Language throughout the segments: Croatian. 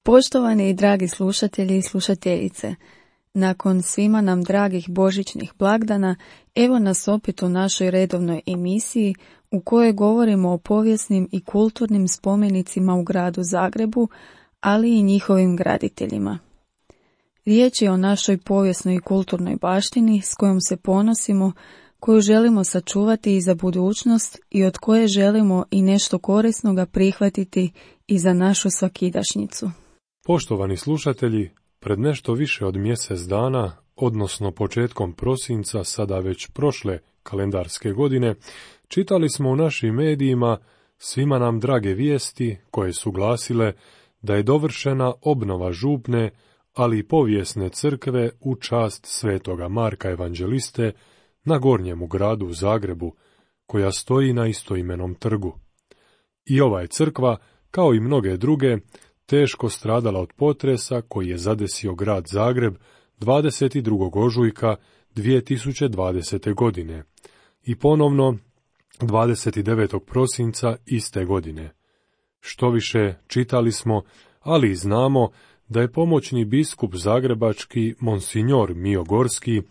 Poštovani i dragi slušatelji i slušateljice, nakon svima nam dragih božićnih blagdana, evo nas opet u našoj redovnoj emisiji u kojoj govorimo o povijesnim i kulturnim spomenicima u gradu Zagrebu, ali i njihovim graditeljima. Riječ je o našoj povijesnoj i kulturnoj baštini s kojom se ponosimo, koju želimo sačuvati i za budućnost i od koje želimo i nešto korisnoga prihvatiti i za našu svakidašnjicu. Poštovani slušatelji, pred nešto više od mjesec dana, odnosno početkom prosinca, sada već prošle kalendarske godine, čitali smo u našim medijima svima nam drage vijesti koje su glasile da je dovršena obnova župne, ali i povijesne crkve u čast svetoga Marka Evanđeliste na Gornjemu gradu u Zagrebu, koja stoji na istoimenom trgu. I ova je crkva, kao i mnoge druge, teško stradala od potresa koji je zadesio grad Zagreb 22. ožujka 2020. godine i ponovno 29. prosinca iste godine. Štoviše, čitali smo, ali i znamo da je pomoćni biskup zagrebački Monsignor Mio Gorski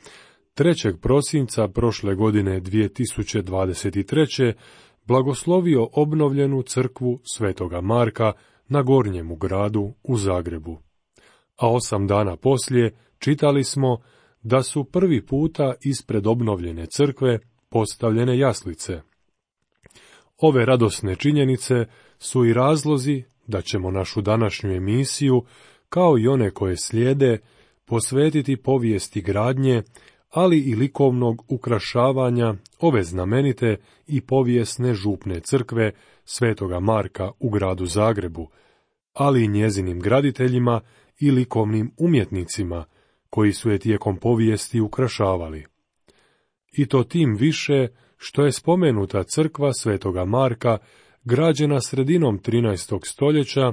3. prosinca prošle godine 2023. blagoslovio obnovljenu crkvu svetoga Marka na Gornjemu gradu u Zagrebu. A 8 dana poslije čitali smo da su prvi puta ispred obnovljene crkve postavljene jaslice. Ove radosne činjenice su i razlozi da ćemo našu današnju emisiju, kao i one koje slijede, posvetiti povijesti gradnje, ali i likovnog ukrašavanja ove znamenite i povijesne župne crkve svetoga Marka u gradu Zagrebu, ali i njezinim graditeljima i likovnim umjetnicima koji su je tijekom povijesti ukrašavali. I to tim više što je spomenuta crkva svetoga Marka građena sredinom 13. stoljeća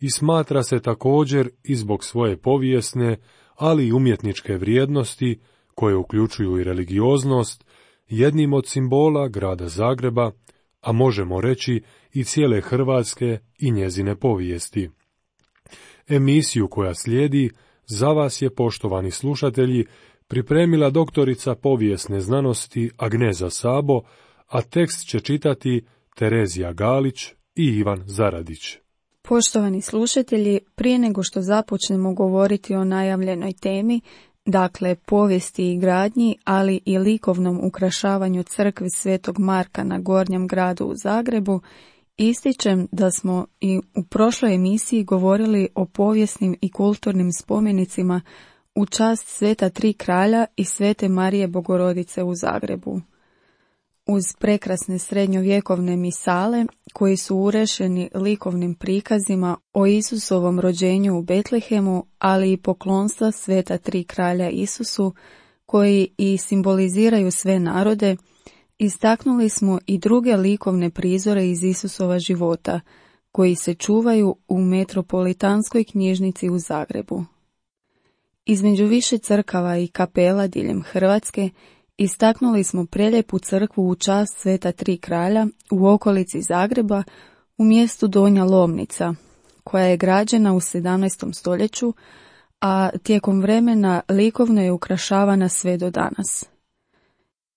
i smatra se također i zbog svoje povijesne, ali i umjetničke vrijednosti, koje uključuju i religioznost, jednim od simbola grada Zagreba, a možemo reći i cijele Hrvatske i njezine povijesti. Emisiju koja slijedi za vas je, poštovani slušatelji, pripremila doktorica povijesne znanosti Agneza Sabo, a tekst će čitati Terezija Galić i Ivan Zaradić. Poštovani slušatelji, prije nego što započnemo govoriti o najavljenoj temi, dakle povijesti i gradnji, ali i likovnom ukrašavanju crkve svetog Marka na Gornjem gradu u Zagrebu, ističem da smo i u prošloj emisiji govorili o povijesnim i kulturnim spomenicima u čast Sveta Tri kralja i Svete Marije Bogorodice u Zagrebu. Uz prekrasne srednjovjekovne misale, koji su urešeni likovnim prikazima o Isusovom rođenju u Betlehemu, ali i poklonstva Sveta Tri kralja Isusu, koji i simboliziraju sve narode, istaknuli smo i druge likovne prizore iz Isusova života, koji se čuvaju u Metropolitanskoj knjižnici u Zagrebu. Između više crkava i kapela diljem Hrvatske istaknuli smo prelijepu crkvu u čast Sveta Tri kralja u okolici Zagreba u mjestu Donja Lomnica, koja je građena u 17. stoljeću, a tijekom vremena likovno je ukrašavana sve do danas.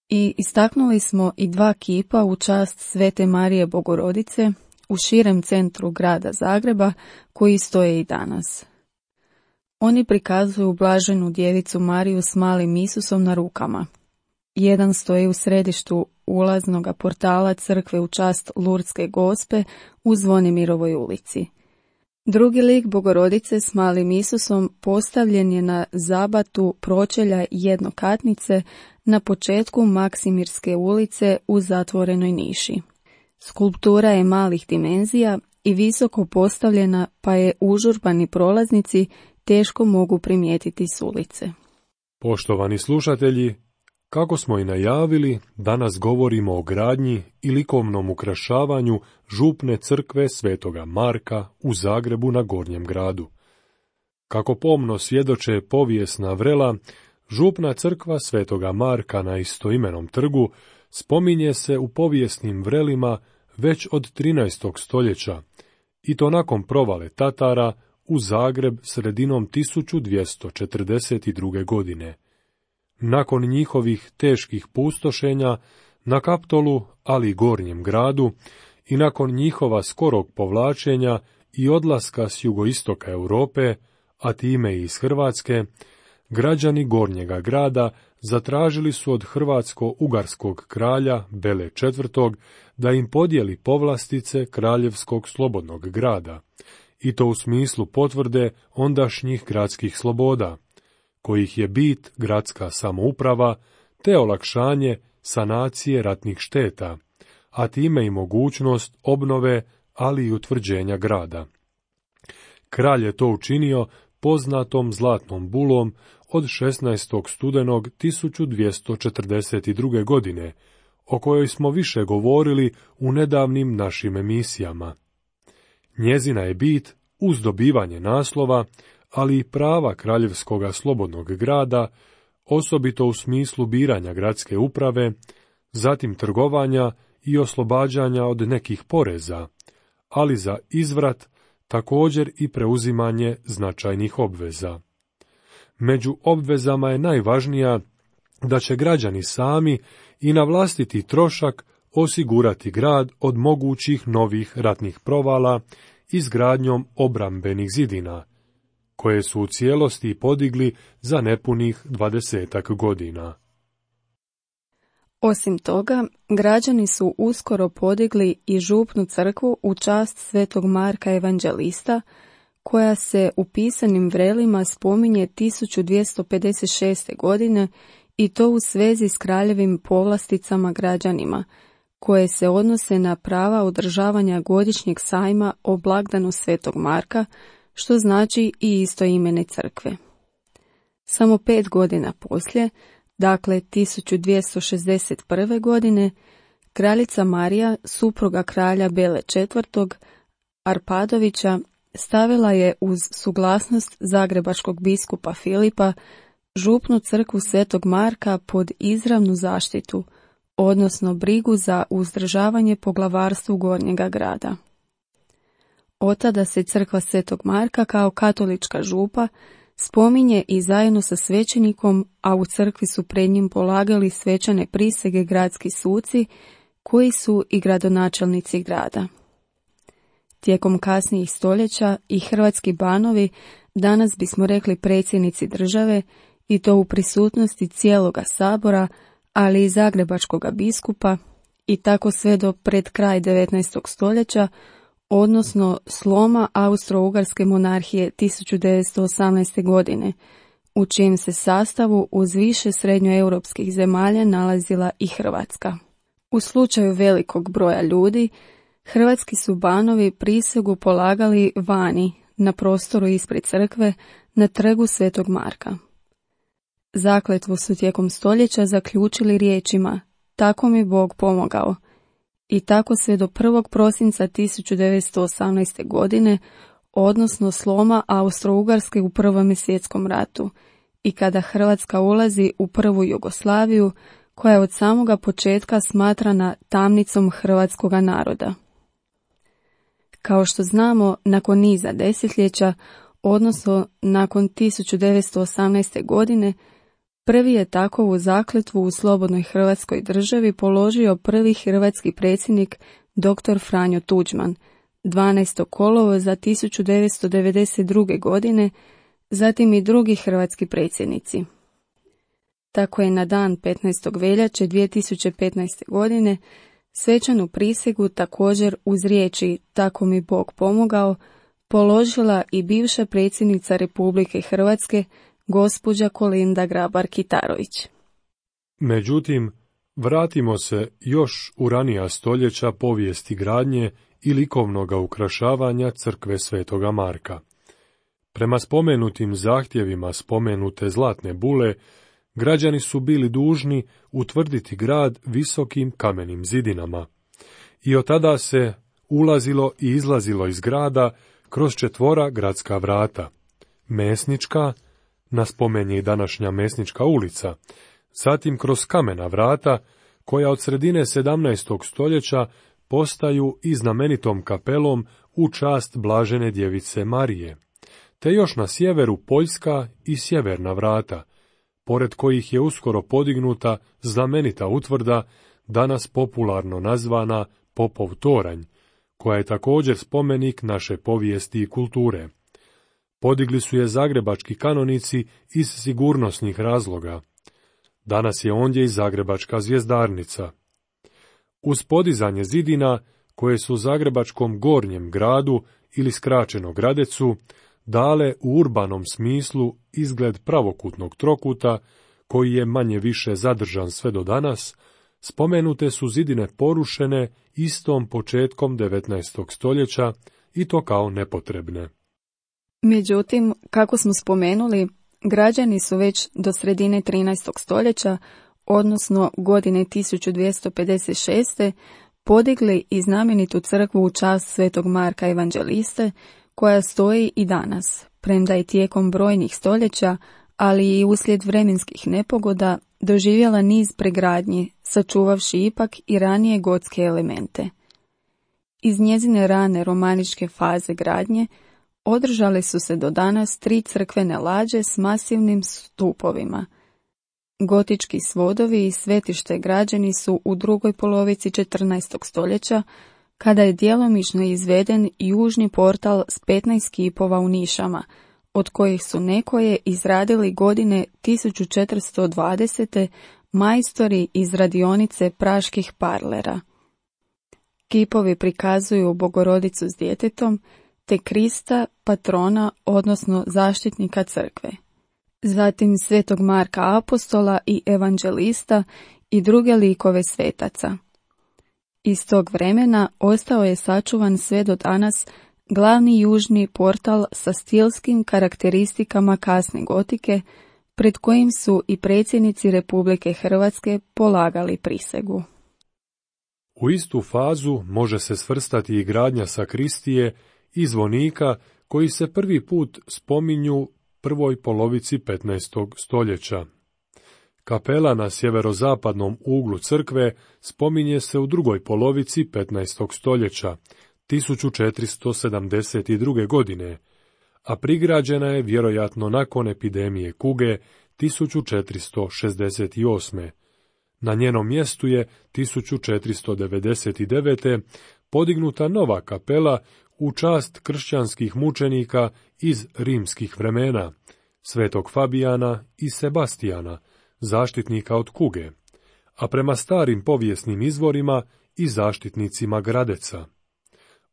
I istaknuli smo i 2 kipa u čast Svete Marije Bogorodice u širem centru grada Zagreba, koji stoje i danas. Oni prikazuju blaženu djevicu Mariju s malim Isusom na rukama. Jedan stoji u središtu ulaznog portala crkve u čast Lurdske Gospe u Zvonimirovoj ulici. Drugi lik Bogorodice s malim Isusom postavljen je na zabatu pročelja jednokatnice na početku Maksimirske ulice u zatvorenoj niši. Skulptura je malih dimenzija i visoko postavljena, pa je užurbani prolaznici teško mogu primijetiti s ulice. Poštovani slušatelji, kako smo i najavili, danas govorimo o gradnji i likovnom ukrašavanju župne crkve svetoga Marka u Zagrebu na Gornjem gradu. Kako pomno svjedoče povijesna vrela, župna crkva svetoga Marka na istoimenom trgu spominje se u povijesnim vrelima već od 13. stoljeća, i to nakon provale Tatara u Zagreb sredinom 1242. godine. Nakon njihovih teških pustošenja na Kaptolu, ali i Gornjem gradu, i nakon njihova skorog povlačenja i odlaska s jugoistoka Europe, a time i iz Hrvatske, građani Gornjega grada zatražili su od hrvatsko-ugarskog kralja Bele IV. Da im podijeli povlastice Kraljevskog slobodnog grada, i to u smislu potvrde ondašnjih gradskih sloboda, kojih je bit gradska samouprava te olakšanje sanacije ratnih šteta, a time i mogućnost obnove, ali i utvrđenja grada. Kralj je to učinio poznatom zlatnom bulom od 16. studenog 1242. godine, o kojoj smo više govorili u nedavnim našim emisijama. Njezina je bit uz dobivanje naslova, ali i prava Kraljevskoga slobodnog grada, osobito u smislu biranja gradske uprave, zatim trgovanja i oslobađanja od nekih poreza, ali za izvrat također i preuzimanje značajnih obveza. Među obvezama je najvažnija da će građani sami i na vlastiti trošak osigurati grad od mogućih novih ratnih provala izgradnjom obrambenih zidina, koje su u cijelosti podigli za nepunih 20 godina. Osim toga, građani su uskoro podigli i župnu crkvu u čast svetog Marka Evanđelista, koja se u pisanim vrelima spominje 1256. godine i to u svezi s kraljevim povlasticama građanima, koje se odnose na prava održavanja godišnjeg sajma o blagdanu svetog Marka, što znači i istoimene crkve. Samo 5 godina poslije, dakle 1261. godine, kraljica Marija, supruga kralja Bele IV. Arpadovića, stavila je uz suglasnost zagrebačkog biskupa Filipa župnu crkvu svetog Marka pod izravnu zaštitu, odnosno brigu za uzdržavanje poglavarstvu Gornjega grada. Otada se crkva svetog Marka kao katolička župa spominje i zajedno sa svećenikom, a u crkvi su pred njim polagali svečane prisege gradski suci, koji su i gradonačelnici grada. Tijekom kasnijih stoljeća i hrvatski banovi, danas bismo rekli predsjednici države, i to u prisutnosti cijeloga sabora, ali i zagrebačkoga biskupa, i tako sve do pred kraj 19. stoljeća, odnosno sloma Austro-Ugarske monarhije 1918. godine, u čijem se sastavu uz više srednjoeuropskih zemalja nalazila i Hrvatska. U slučaju velikog broja ljudi, hrvatski su banovi prisegu polagali vani, na prostoru ispred crkve, na trgu svetog Marka. Zakletvu su tijekom stoljeća zaključili riječima: "Tako mi Bog pomogao", i tako sve do 1. prosinca 1918. godine, odnosno sloma Austro-Ugarske u Prvom svjetskom ratu, i kada Hrvatska ulazi u prvu Jugoslaviju, koja je od samoga početka smatrana tamnicom hrvatskoga naroda. Kao što znamo, nakon niza desetljeća, odnosno nakon 1918. godine, prvi je takovu zakletvu u slobodnoj Hrvatskoj državi položio prvi hrvatski predsjednik dr. Franjo Tuđman, 12. kolovoza 1992. godine, zatim i drugi hrvatski predsjednici. Tako je na dan 15. veljače 2015. godine svečanu prisegu također uz riječi "Tako mi Bog pomogao" položila i bivša predsjednica Republike Hrvatske, gospođa Kolinda Grabar-Kitarović. Međutim, vratimo se još u ranija stoljeća povijesti gradnje i likovnoga ukrašavanja crkve svetoga Marka. Prema spomenutim zahtjevima spomenute zlatne bule, građani su bili dužni utvrditi grad visokim kamenim zidinama. I od tada se ulazilo i izlazilo iz grada kroz 4 gradska vrata: Mesnička, na spomen je i današnja Mesnička ulica, zatim kroz kamena vrata, koja od sredine 17. stoljeća postaju i znamenitom kapelom u čast Blažene djevice Marije, te još na sjeveru Poljska i Sjeverna vrata, pored kojih je uskoro podignuta znamenita utvrda, danas popularno nazvana Popov toranj, koja je također spomenik naše povijesti i kulture. Podigli su je zagrebački kanonici iz sigurnosnih razloga. Danas je ondje i zagrebačka zvjezdarnica. Uz podizanje zidina, koje su zagrebačkom gornjem gradu ili skraćeno Gradecu, dale u urbanom smislu izgled pravokutnog trokuta, koji je manje više zadržan sve do danas, spomenute su zidine porušene istom početkom 19. stoljeća i to kao nepotrebne. Međutim, kako smo spomenuli, građani su već do sredine 13. stoljeća, odnosno godine 1256. podigli i znamenitu crkvu u čast Svetog Marka Evanđeliste, koja stoji i danas, premda je tijekom brojnih stoljeća, ali i uslijed vremenskih nepogoda, doživjela niz pregradnji, sačuvavši ipak i ranije gotske elemente. Iz njezine rane romaničke faze gradnje održale su se do danas 3 crkvene lađe s masivnim stupovima. Gotički svodovi i svetište građeni su u drugoj polovici 14. stoljeća, kada je djelomično izveden južni portal s 15 kipova u nišama, od kojih su nekoje izradili godine 1420. majstori iz radionice praških parlera. Kipovi prikazuju Bogorodicu s djetetom, te Krista, patrona, odnosno zaštitnika crkve. Zatim Svetog Marka Apostola i Evanđelista i druge likove svetaca. Iz tog vremena ostao je sačuvan sve do danas glavni južni portal sa stilskim karakteristikama kasne gotike, pred kojim su i predsjednici Republike Hrvatske polagali prisegu. U istu fazu može se svrstati i gradnja sakristije i zvonika, koji se prvi put spominju prvoj polovici 15. stoljeća. Kapela na sjeverozapadnom uglu crkve spominje se u drugoj polovici 15. stoljeća, 1472. godine, a prigrađena je vjerojatno nakon epidemije kuge 1468. Na njenom mjestu je 1499. podignuta nova kapela u čast kršćanskih mučenika iz rimskih vremena, Svetog Fabijana i Sebastijana, zaštitnika od kuge, a prema starim povijesnim izvorima i zaštitnicima Gradeca.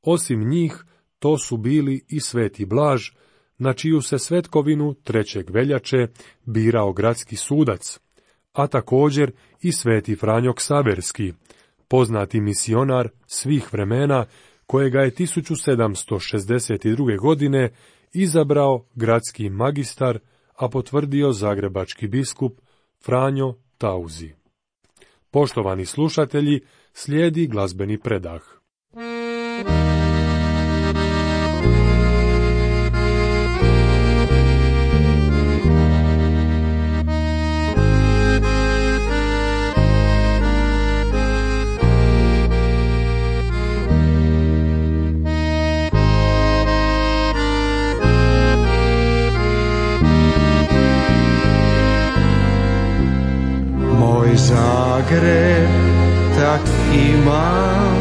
Osim njih, to su bili i Sveti Blaž, na čiju se svetkovinu 3. veljače birao gradski sudac, a također i Sveti Franjo Ksaverski, poznati misionar svih vremena, kojega je 1762. godine izabrao gradski magistar, a potvrdio zagrebački biskup Franjo Tauzi. Poštovani slušatelji, slijedi glazbeni predah. Zagreb, tak imam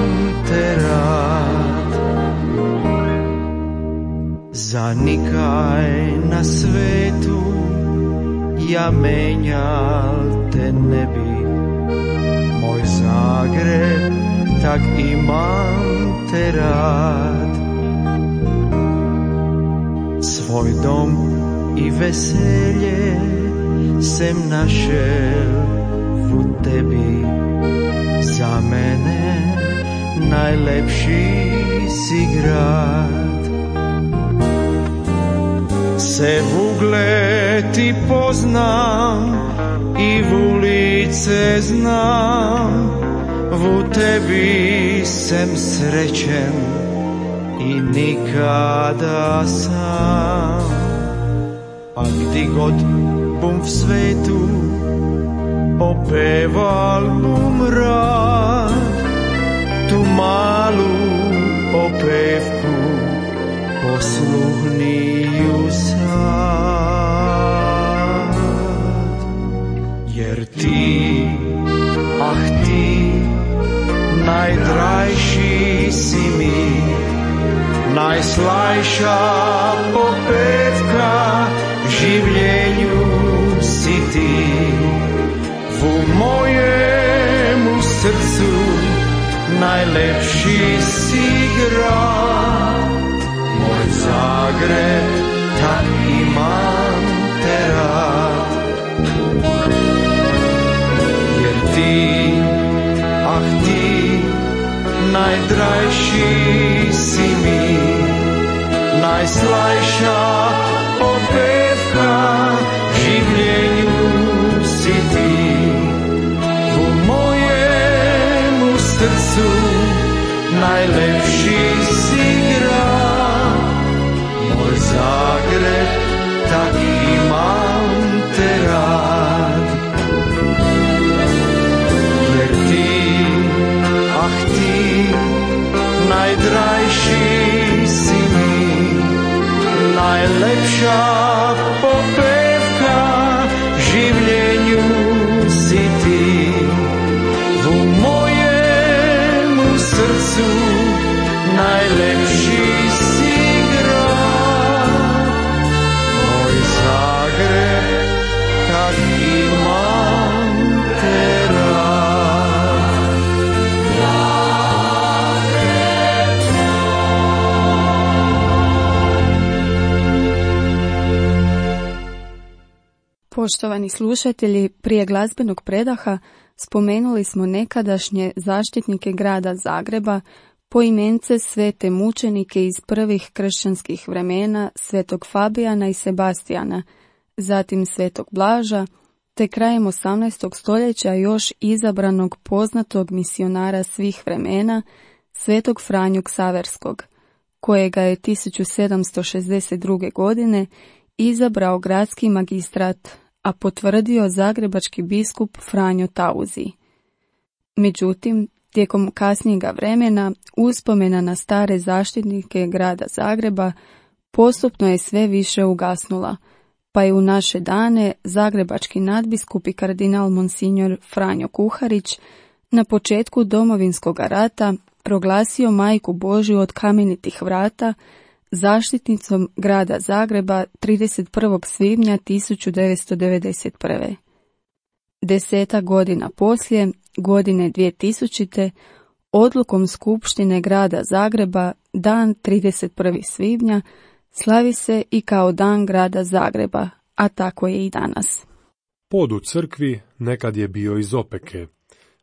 te rad, za nikaj na svetu ja menjal te ne bi. Moj Zagreb, tak imam te rad, svoj dom i veselje sem našel u tebi. Za mene najlepši si grad. Se v ugled ti poznam i v ulice znam, v tebi sem srećen i nikada sam. Pa gdje god bum v svetu opeval bum rad, tu malu opevku posluhniju najslajša popevka življenju si ti. U mojemu srcu najlepši si grad, moj Zagreb, tak imam te rad. Jer ti, ah ti, najdrajši si mi, najslajša popevka življenju si ti. U mojemu srcu najlepši si grad, moj Zagreb, tak imam te rad. Jer ti, ah ti, najdrajši si mi, najlepša popevka življenju si ti. U mojemu srcu najlepši si grad, moj Zagreb, kak imam te rad. Poštovani slušatelji, prije glazbenog predaha spomenuli smo nekadašnje zaštitnike grada Zagreba, poimence svete mučenike iz prvih kršćanskih vremena, svetog Fabijana i Sebastijana, zatim svetog Blaža, te krajem 18. stoljeća još izabranog poznatog misionara svih vremena, svetog Franju Ksaverskog, kojega je 1762. godine izabrao gradski magistrat, a potvrdio zagrebački biskup Franjo Tauzi. Međutim, tijekom kasnijega vremena uspomena na stare zaštitnike grada Zagreba postupno je sve više ugasnula, pa je u naše dane zagrebački nadbiskup i kardinal Monsignor Franjo Kuharić na početku Domovinskog rata proglasio Majku Božju od kamenitih vrata zaštitnicom grada Zagreba 31. svibnja 1991. 10 godina poslije, godine 2000. odlukom Skupštine grada Zagreba, dan 31. svibnja slavi se i kao dan grada Zagreba, a tako je i danas. Pod u crkvi nekad je bio iz opeke,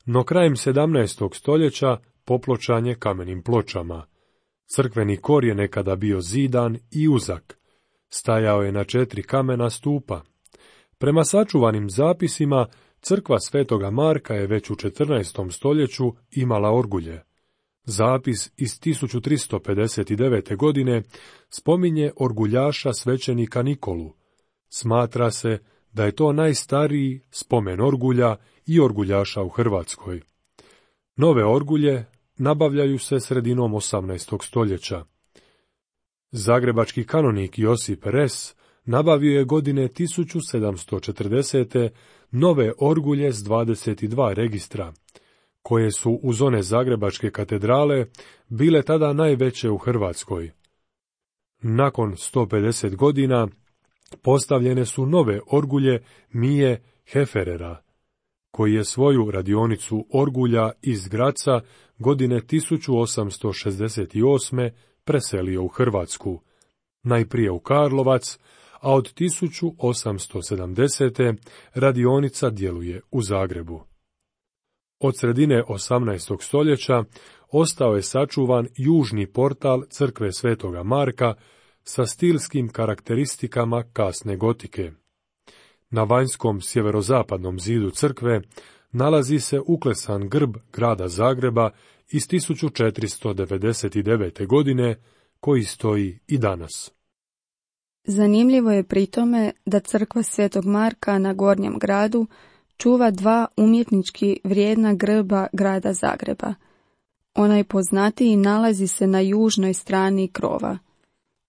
no krajem 17. stoljeća popločan je kamenim pločama. Crkveni kor je nekada bio zidan i uzak. Stajao je na 4 kamena stupa. Prema sačuvanim zapisima, crkva Svetoga Marka je već u 14. stoljeću imala orgulje. Zapis iz 1359. godine spominje orguljaša svećenika Nikolu. Smatra se da je to najstariji spomen orgulja i orguljaša u Hrvatskoj. Nove orgulje nabavljaju se sredinom 18. stoljeća. Zagrebački kanonik Josip Res nabavio je godine 1740. nove orgulje s 22 registra, koje su uz one Zagrebačke katedrale bile tada najveće u Hrvatskoj. Nakon 150 godina postavljene su nove orgulje Mije Heferera, koji je svoju radionicu orgulja iz Graca godine 1868. preselio u Hrvatsku, najprije u Karlovac, a od 1870. radionica djeluje u Zagrebu. Od sredine 18. stoljeća ostao je sačuvan južni portal crkve Svetoga Marka sa stilskim karakteristikama kasne gotike. Na vanjskom sjeverozapadnom zidu crkve nalazi se uklesan grb grada Zagreba iz 1499. godine, koji stoji i danas. Zanimljivo je pri tome da crkva Svetog Marka na Gornjem gradu čuva 2 umjetnički vrijedna grba grada Zagreba. Onaj poznatiji nalazi se na južnoj strani krova.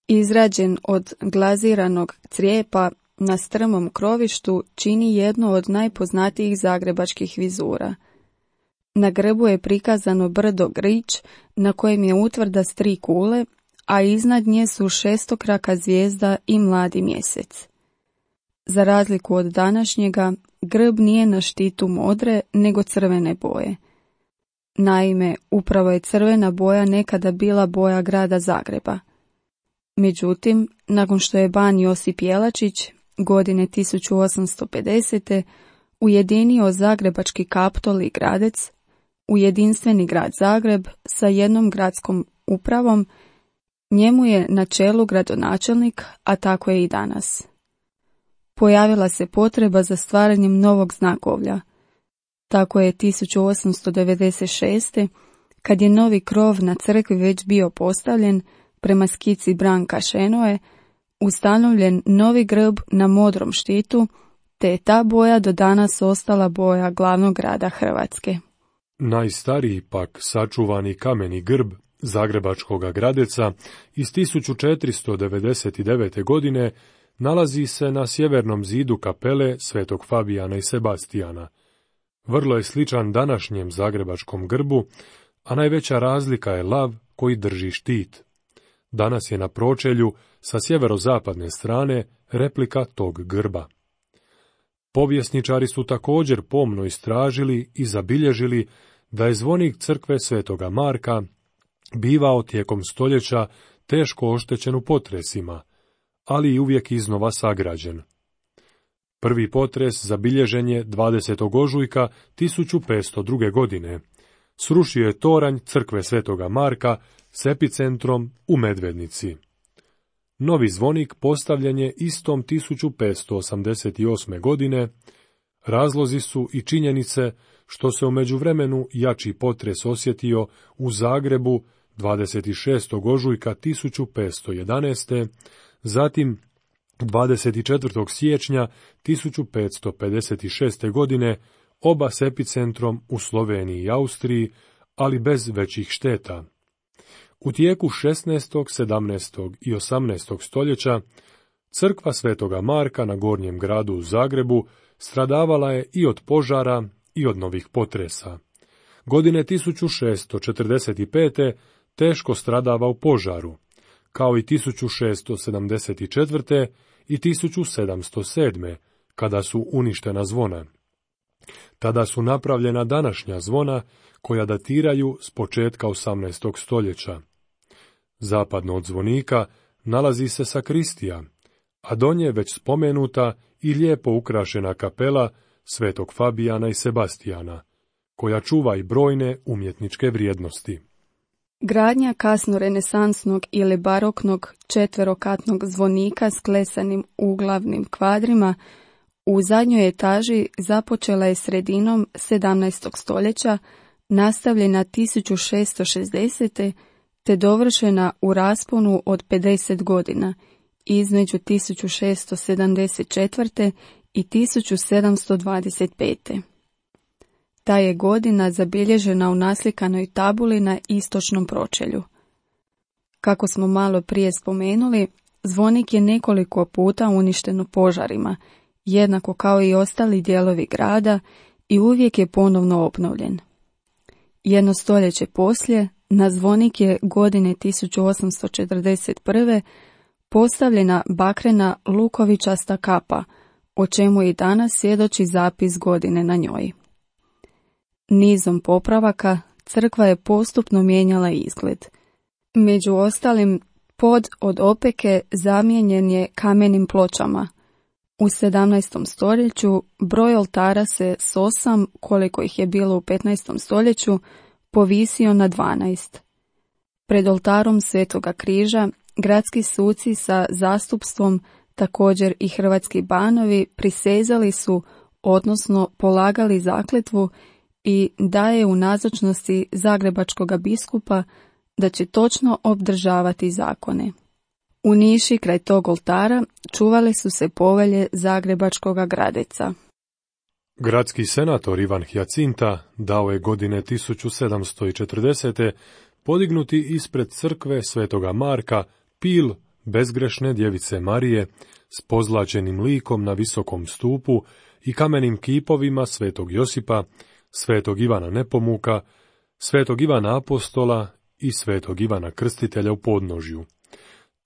Izrađen od glaziranog crijepa na strmom krovištu, čini jedno od najpoznatijih zagrebačkih vizura. Na grbu je prikazano brdo Grič, na kojem je utvrda s 3 kule, a iznad nje su šestokraka zvijezda i mladi mjesec. Za razliku od današnjega, grb nije na štitu modre, nego crvene boje. Naime, upravo je crvena boja nekada bila boja grada Zagreba. Međutim, nakon što je ban Josip Jelačić, godine 1850. ujedinio Zagrebački Kaptol i Gradec u jedinstveni grad Zagreb sa jednom gradskom upravom, njemu je na čelu gradonačelnik, a tako je i danas. Pojavila se potreba za stvaranjem novog znakovlja. Tako je 1896. kad je novi krov na crkvi već bio postavljen prema skici Branka Šenoe, ustanovljen novi grb na modrom štitu, te je ta boja do danas ostala boja glavnog grada Hrvatske. Najstariji pak sačuvani kameni grb Zagrebačkoga Gradeca iz 1499. godine nalazi se na sjevernom zidu kapele Svetog Fabijana i Sebastijana. Vrlo je sličan današnjem zagrebačkom grbu, a najveća razlika je lav koji drži štit. Danas je na pročelju sa sjeverozapadne strane replika tog grba. Povjesničari su također pomno istražili i zabilježili da je zvonik crkve Svetoga Marka bivao tijekom stoljeća teško oštećen u potresima, ali i uvijek iznova sagrađen. Prvi potres zabilježen je 20. ožujka 1502. godine. Srušio je toranj crkve Svetoga Marka s epicentrom u Medvednici. Novi zvonik postavljen je istom 1588. godine. Razlozi su i činjenice što se u međuvremenu jači potres osjetio u Zagrebu 26. ožujka 1511. Zatim 24. siječnja 1556. godine oba s epicentrom u Sloveniji i Austriji, ali bez većih šteta. U tijeku 16., 17. i 18. stoljeća crkva Svetoga Marka na Gornjem gradu u Zagrebu stradavala je i od požara i od novih potresa. Godine 1645. teško stradava u požaru, kao i 1674. i 1707. kada su uništena zvona. Tada su napravljena današnja zvona koja datiraju s početka 18. stoljeća. Zapadno od zvonika nalazi se sakristija, a do nje već spomenuta i lijepo ukrašena kapela Svetog Fabijana i Sebastijana, koja čuva i brojne umjetničke vrijednosti. Gradnja kasnorenesansnog ili baroknog četverokatnog zvonika s klesanim uglavnim kvadrima u zadnjoj etaži započela je sredinom 17. stoljeća, nastavljena 1660. te dovršena u rasponu od 50 godina, između 1674. i 1725. Ta je godina zabilježena u naslikanoj tabuli na istočnom pročelju. Kako smo malo prije spomenuli, zvonik je nekoliko puta uništen u požarima, jednako kao i ostali dijelovi grada, i uvijek je ponovno obnovljen. Jedno stoljeće poslije, na zvonik je godine 1841. postavljena bakrena lukovičasta kapa, o čemu i danas svjedoči zapis godine na njoj. Nizom popravaka crkva je postupno mijenjala izgled. Među ostalim, pod od opeke zamijenjen je kamenim pločama. U 17. stoljeću broj oltara se s 8, koliko ih je bilo u 15. stoljeću, povisio na 12. Pred oltarom Svetoga križa gradski suci sa zastupstvom, također i hrvatski banovi, prisezali su, odnosno polagali zakletvu i daje u nazočnosti zagrebačkoga biskupa da će točno obdržavati zakone. U niši kraj tog oltara čuvale su se povelje Zagrebačkoga Gradeca. Gradski senator Ivan Hjacinta dao je godine 1740. podignuti ispred crkve Svetoga Marka pil bezgrešne djevice Marije s pozlačenim likom na visokom stupu i kamenim kipovima Svetog Josipa, Svetog Ivana Nepomuka, Svetog Ivana Apostola i Svetog Ivana Krstitelja u podnožju.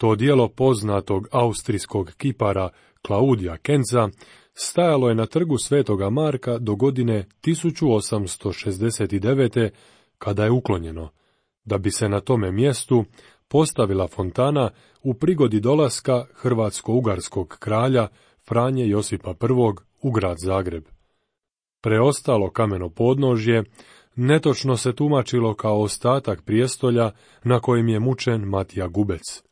To djelo poznatog austrijskog kipara Klaudija Kenza stajalo je na trgu Svetoga Marka do godine 1869. kada je uklonjeno, da bi se na tome mjestu postavila fontana u prigodi dolaska hrvatsko-ugarskog kralja Franje Josipa I u grad Zagreb. Preostalo kameno podnožje netočno se tumačilo kao ostatak prijestolja na kojem je mučen Matija Gubec.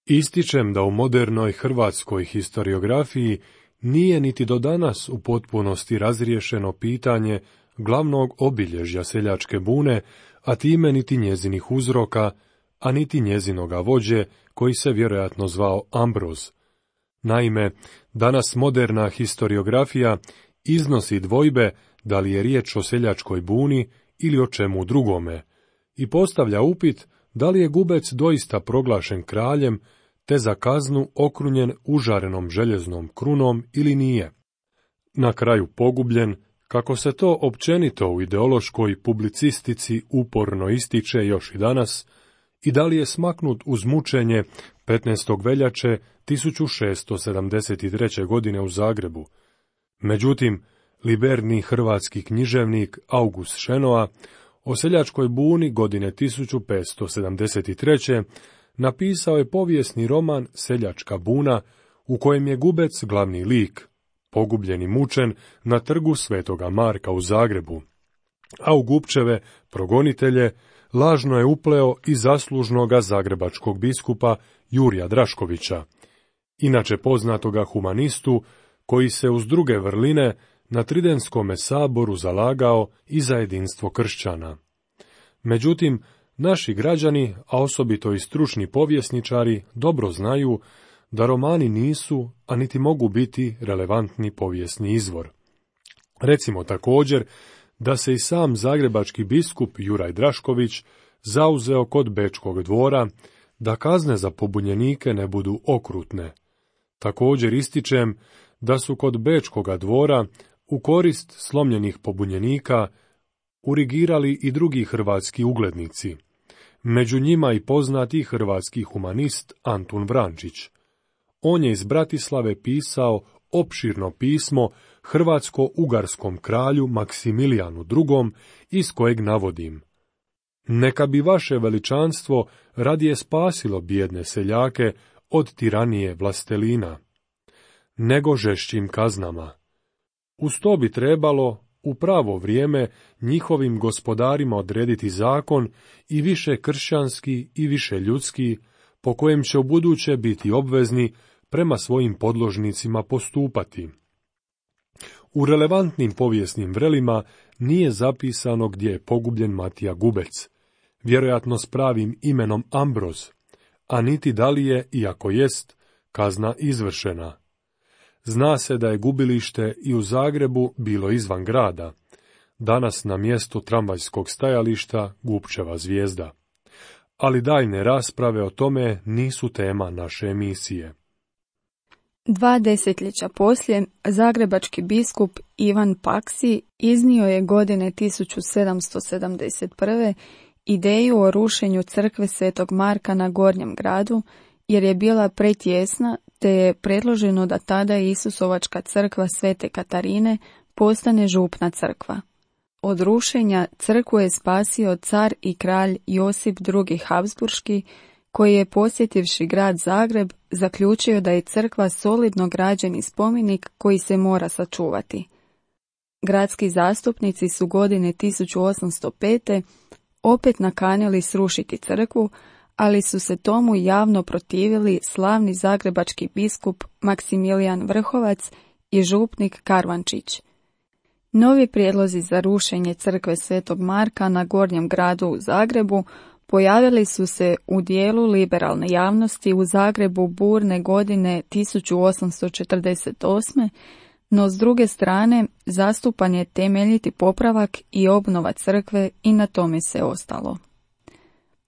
Ističem da u modernoj hrvatskoj historiografiji nije niti do danas u potpunosti razriješeno pitanje glavnog obilježja seljačke bune, a time niti njezinih uzroka, a niti njezinoga vođe, koji se vjerojatno zvao Ambroz. Naime, danas moderna historiografija iznosi dvojbe da li je riječ o seljačkoj buni ili o čemu drugome, i postavlja upit da li je Gubec doista proglašen kraljem, te za kaznu okrunjen užarenom željeznom krunom ili nije. Na kraju pogubljen, kako se to općenito u ideološkoj publicistici uporno ističe još i danas, i da li je smaknut uz mučenje 15. veljače 1673. godine u Zagrebu. Međutim, liberni hrvatski književnik August Šenoa o seljačkoj buni godine 1573. napisao je povijesni roman Seljačka buna, u kojem je Gubec glavni lik, pogubljen i mučen na trgu Svetoga Marka u Zagrebu, a u Gubčeve progonitelje lažno je upleo i zaslužnoga zagrebačkog biskupa Jurija Draškovića, inače poznatoga humanistu, koji se uz druge vrline na Tridentskome saboru zalagao i za jedinstvo kršćana. Međutim, naši građani, a osobito i stručni povjesničari, dobro znaju da romani nisu, a niti mogu biti relevantni povijesni izvor. Recimo također da se i sam zagrebački biskup Juraj Drašković zauzeo kod Bečkog dvora da kazne za pobunjenike ne budu okrutne. Također ističem da su kod Bečkoga dvora u korist slomljenih pobunjenika urigirali i drugi hrvatski uglednici, među njima i poznati hrvatski humanist Antun Vrančić. On je iz Bratislave pisao opširno pismo hrvatsko-ugarskom kralju Maksimilijanu II, iz kojeg navodim: neka bi vaše veličanstvo radije spasilo bijedne seljake od tiranije vlastelina, nego žešćim kaznama. Uz to bi trebalo u pravo vrijeme njihovim gospodarima odrediti zakon i više kršćanski i više ljudski, po kojem će ubuduće biti obvezni prema svojim podložnicima postupati. U relevantnim povijesnim vrelima nije zapisano gdje je pogubljen Matija Gubec, vjerojatno s pravim imenom Ambroz, a niti da li je, iako jest, kazna izvršena. Zna se da je gubilište i u Zagrebu bilo izvan grada, danas na mjestu tramvajskog stajališta Gubčeva Zvijezda. Ali daljne rasprave o tome nisu tema naše emisije. 2 desetljeća poslije, zagrebački biskup Ivan Paksi iznio je godine 1771. ideju o rušenju crkve Svetog Marka na Gornjem gradu, jer je bila pretjesna, te je predloženo da tada Isusovačka crkva Svete Katarine postane župna crkva. Od rušenja crkvu je spasio car i kralj Josip II. Habsburški, koji je posjetivši grad Zagreb zaključio da je crkva solidno građeni spomenik koji se mora sačuvati. Gradski zastupnici su godine 1805. opet nakanili srušiti crkvu, ali su se tomu javno protivili slavni zagrebački biskup Maksimilijan Vrhovac i župnik Karvančić. Novi prijedlozi za rušenje crkve Svetog Marka na Gornjem gradu u Zagrebu pojavili su se u dijelu liberalne javnosti u Zagrebu burne godine 1848. No s druge strane zastupan je temeljiti popravak i obnova crkve i na tome se ostalo.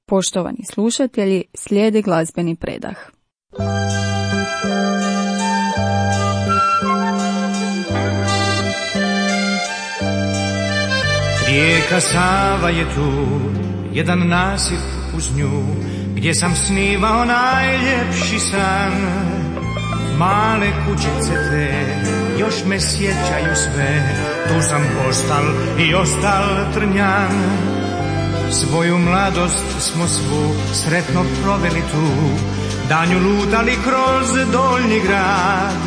Poštovani slušatelji, slijedi glazbeni predah. Rijeka Sava je tu, jedan nasip uz nju, gdje sam snivao najljepši san. Male kućice te još me sjećaju sve, tu sam postal i ostal trnjan. Svoju mladost smo svu sretno proveli tu, danju lutali kroz Donji grad,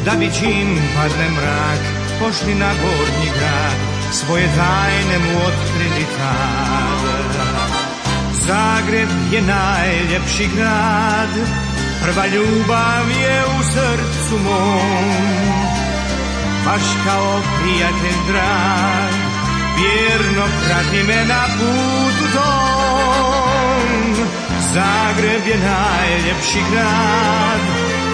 da bi čim padne mrak pošli na Gornji grad, svoje tajne mu otkrili tad. Zagreb je najljepši grad, prva ljubav je u srcu mom, baš kao prijatelj drag, vjerno prati me na putu tom. Zagreb je najljepši grad,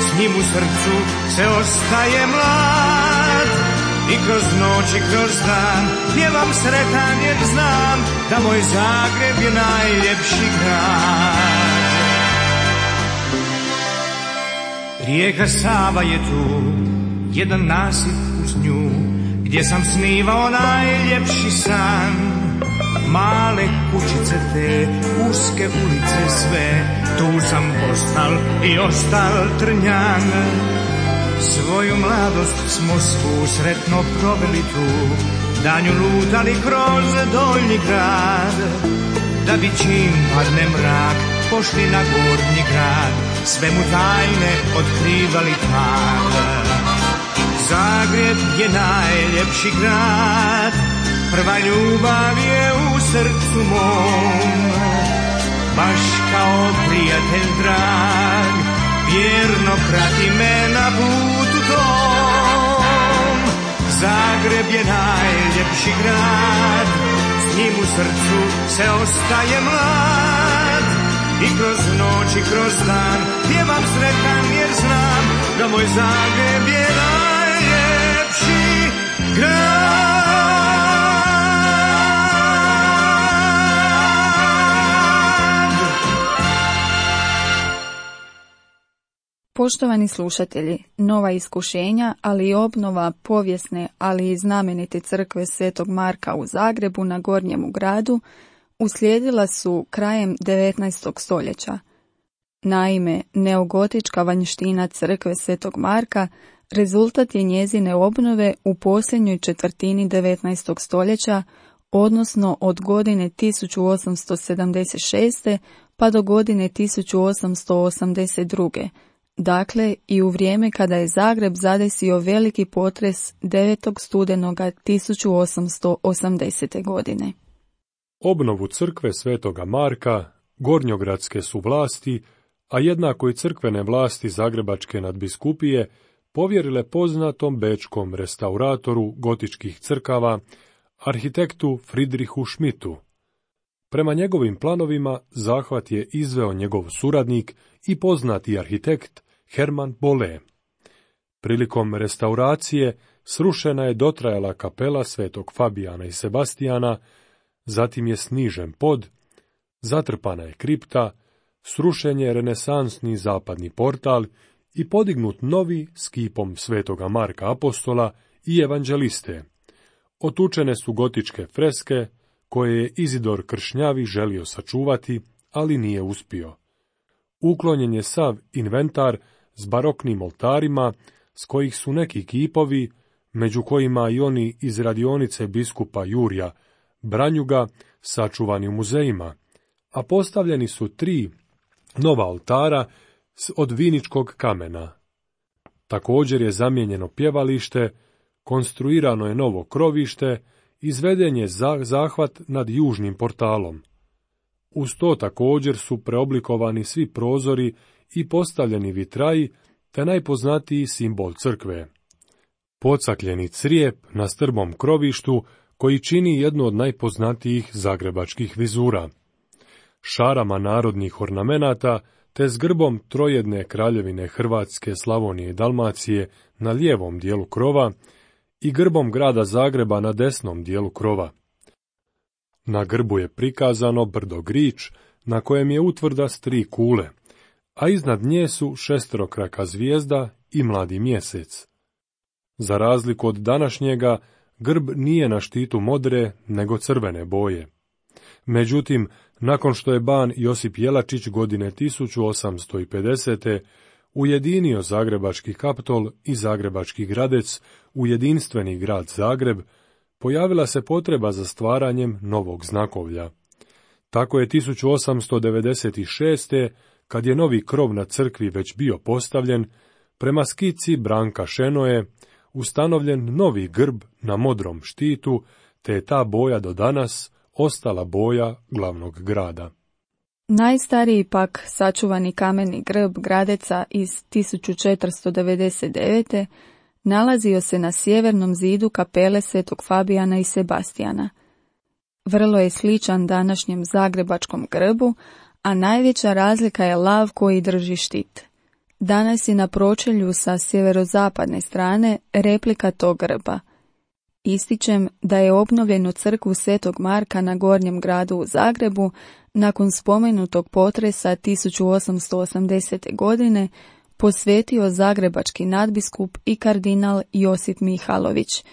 s njim u srcu se ostaje mlad, i kroz noć i kroz dan pjevam sretan jer znam da moj Zagreb je najljepši grad. Rijeka Sava je tu, jedan nasip uz nju, gdje sam snivao najljepši san. Male kućice te, uske ulice sve, tu sam postal i ostal trnjan. Svoju mladost smo svu sretno proveli tu, danju lutali kroz Donji grad, da bi čim padne mrak pošli na Gornji grad, sve mu tajne otkrivali tad. Zagreb je najljepši grad, prva ljubav je u srcu mom, baš kao prijatelj drag, vjerno prati me na putu tom. Zagreb je najljepši grad, s njim u srcu se ostaje mlad, i kroz noć i kroz dan pjevam sretan jer znam da moj Zagreb je najljepši grad. Poštovani slušatelji, nova iskušenja, ali i obnova povijesne, ali i znamenite crkve Svetog Marka u Zagrebu na Gornjemu gradu uslijedila su krajem 19. stoljeća. Naime, neogotička vanjština crkve Svetog Marka rezultat je njezine obnove u posljednjoj četvrtini 19. stoljeća, odnosno od godine 1876. pa do godine 1882. Dakle, i u vrijeme kada je Zagreb zadesio veliki potres 9. studenoga 1880. godine. Obnovu crkve Svetoga Marka gornjogradske su vlasti, a jednako i crkvene vlasti zagrebačke nadbiskupije, povjerile poznatom bečkom restauratoru gotičkih crkava, arhitektu Friedrichu Schmidtu. Prema njegovim planovima zahvat je izveo njegov suradnik i poznati arhitekt Hermann Bolle. Prilikom restauracije srušena je dotrajala kapela Svetog Fabijana i Sebastijana, zatim je snižen pod, zatrpana je kripta, srušen je renesansni zapadni portal i podignut novi s kipom Svetoga Marka Apostola i evanđeliste. Otučene su gotičke freske, koje je Izidor Kršnjavi želio sačuvati, ali nije uspio. Uklonjen je sav inventar s baroknim oltarima, s kojih su neki kipovi, među kojima i oni iz radionice biskupa Jurija Branjuga, sačuvani u muzejima, a postavljeni su 3 nova oltara od viničkog kamena. Također je zamijenjeno pjevalište, konstruirano je novo krovište, izveden je zahvat nad južnim portalom. Uz to također su preoblikovani svi prozori i postavljeni vitraji, te najpoznatiji simbol crkve. Pocakljeni crijep na strbom krovištu, koji čini jednu od najpoznatijih zagrebačkih vizura. Šarama narodnih ornamenata, te s grbom trojedne kraljevine Hrvatske, Slavonije i Dalmacije na lijevom dijelu krova i grbom grada Zagreba na desnom dijelu krova. Na grbu je prikazano brdo Grič, na kojem je utvrda s 3 kule, a iznad nje su šesterokraka zvijezda i mladi mjesec. Za razliku od današnjega, grb nije na štitu modre, nego crvene boje. Međutim, nakon što je ban Josip Jelačić godine 1850. ujedinio Zagrebački Kaptol i Zagrebački Gradec u jedinstveni grad Zagreb, pojavila se potreba za stvaranjem novog znakovlja. Tako je 1896. kad je novi krov na crkvi već bio postavljen, prema skici Branka Šenoje ustanovljen novi grb na modrom štitu, te je ta boja do danas ostala boja glavnog grada. Najstariji pak sačuvani kameni grb Gradeca iz 1499. nalazio se na sjevernom zidu kapele Svetog Fabijana i Sebastijana. Vrlo je sličan današnjem zagrebačkom grbu, a najveća razlika je lav koji drži štit. Danas je na pročelju sa sjeverozapadne strane replika tog grba. Ističem da je obnovljenu crkvu Svetog Marka na Gornjem gradu u Zagrebu nakon spomenutog potresa 1880. godine posvetio zagrebački nadbiskup i kardinal Josip Mihalović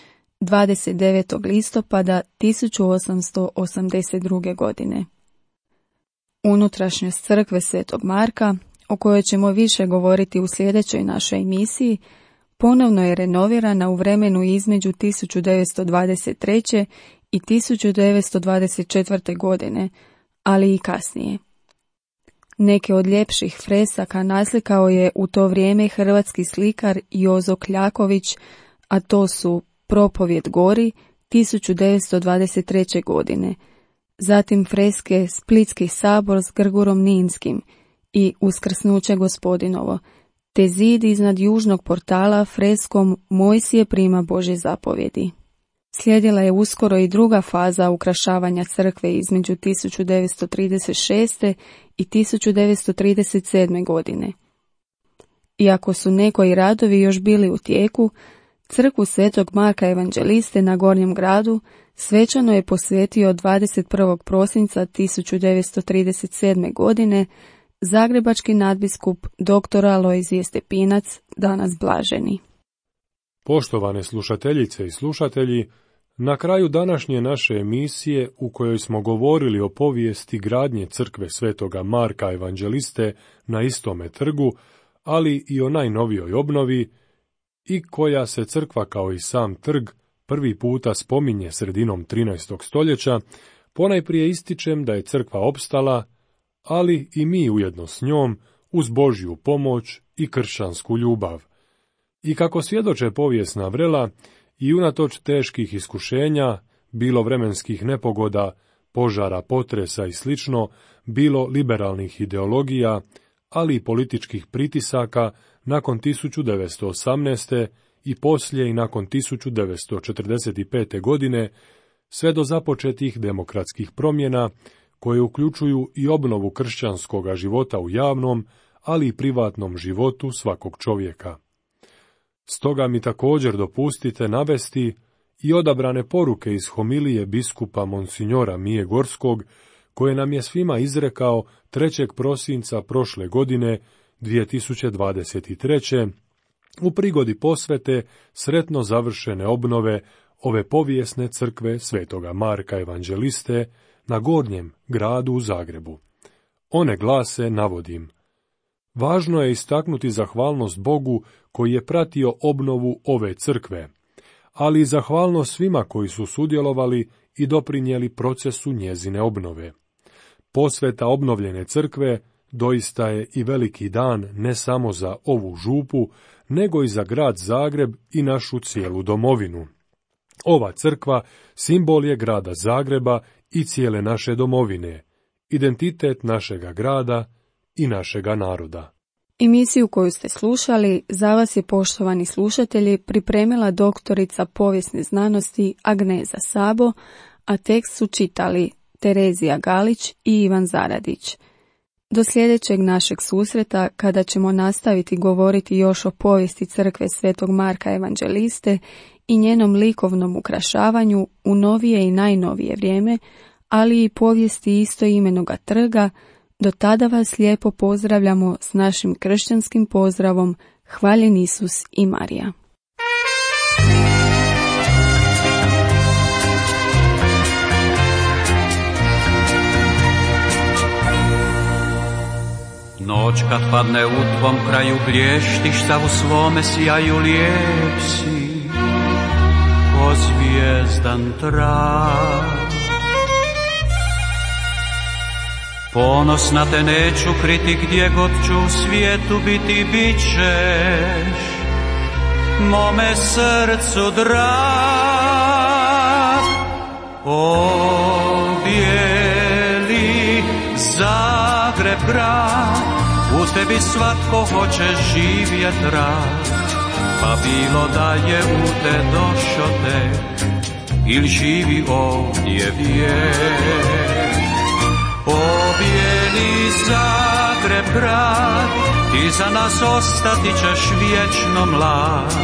29. listopada 1882. godine. Unutrašnjost crkve Svetog Marka, o kojoj ćemo više govoriti u sljedećoj našoj emisiji, ponovno je renovirana u vremenu između 1923. i 1924. godine, ali i kasnije. Neke od ljepših fresaka naslikao je u to vrijeme hrvatski slikar Jozo Kljaković, a to su Propovjed gori 1923. godine, zatim freske Splitski sabor s Grgurom Ninskim i Uskrsnuće Gospodinovo, te zid iznad južnog portala freskom Mojsije prima Božje zapovjedi. Slijedila je uskoro i druga faza ukrašavanja crkve između 1936. i 1937. godine. Iako su nekoji radovi još bili u tijeku, crkvu Svetog Marka Evanđeliste na Gornjem gradu svečano je posvetio 21. prosinca 1937. godine zagrebački nadbiskup dr. Alojzije Stepinac, danas blaženi. Poštovane slušateljice i slušatelji, na kraju današnje naše emisije u kojoj smo govorili o povijesti gradnje crkve Svetoga Marka Evanđeliste na istome trgu, ali i o najnovijoj obnovi, i koja se crkva kao i sam trg prvi puta spominje sredinom 13. stoljeća, ponajprije ističem da je crkva opstala, ali i mi ujedno s njom, uz Božju pomoć i kršćansku ljubav. I kako svjedoče povijesna vrela, i unatoč teških iskušenja, bilo vremenskih nepogoda, požara, potresa i slično, bilo liberalnih ideologija, ali i političkih pritisaka nakon 1918. i poslije i nakon 1945. godine, sve do započetih demokratskih promjena, koje uključuju i obnovu kršćanskoga života u javnom, ali i privatnom životu svakog čovjeka. Stoga mi također dopustite navesti i odabrane poruke iz homilije biskupa Monsignora Mije Gorskog, koje nam je svima izrekao 3. prosinca prošle godine 2023. u prigodi posvete sretno završene obnove ove povijesne crkve Svetoga Marka Evanđeliste na Gornjem gradu u Zagrebu. One glase, navodim: važno je istaknuti zahvalnost Bogu koji je pratio obnovu ove crkve, ali i zahvalnost svima koji su sudjelovali i doprinijeli procesu njezine obnove. Posveta obnovljene crkve doista je i veliki dan ne samo za ovu župu, nego i za grad Zagreb i našu cijelu domovinu. Ova crkva simbol je grada Zagreba i cijele naše domovine, identitet našega grada i našega naroda. Emisiju koju ste slušali za vas je, poštovani slušatelji, pripremila doktorica povijesne znanosti Agneza Sabo, a tekst su čitali Terezija Galić i Ivan Zaradić. Do sljedećeg našeg susreta, kada ćemo nastaviti govoriti još o povijesti crkve Svetog Marka Evanđeliste i njenom likovnom ukrašavanju u novije i najnovije vrijeme, ali i povijesti istoimenoga trga, do tada vas lijepo pozdravljamo s našim kršćanskim pozdravom: Hvaljen Isus i Marija. kad padne u tvom kraju blještiš, sav u svome sjaju lijep si, ko zvijezdan trak. Ponosna te neću kriti, gdje god ću u svijetu biti, bit ćeš mome srcu drag. O bijeli Zagreb grad, u tebi svatko hoće živjet rad, pa bilo da je u te došo te, ili živi ovdje vijek. O bijeli Zagreb grad, ti za nas ostati ćeš vječno mlad,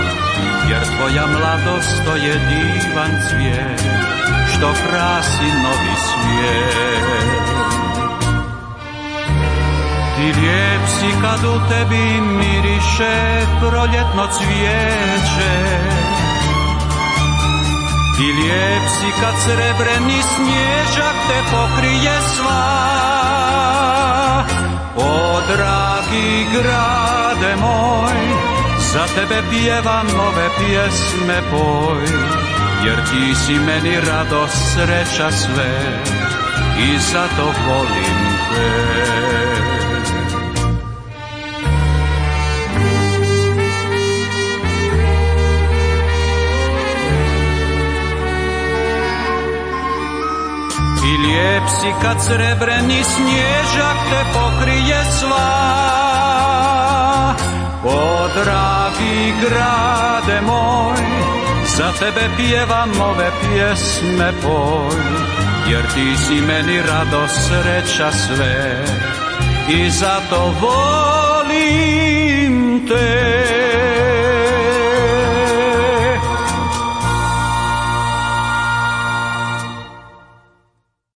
jer tvoja mladost to je divan cvijet, što krasi novi svijet. Ti lijep si kad u tebi miriše proljetno cvijeće, ti lijep si kad srebreni snježak te pokrije sva. O dragi grade moj, za tebe pjevam ove pjesme poj, jer ti si meni radost, sreća sve i zato volim te. I lijep si kad srebreni snježak te pokrije sva. O dragi grade moj, za tebe pjevam ove pjesme poj, jer ti si meni radost, sreća sve i zato volim te.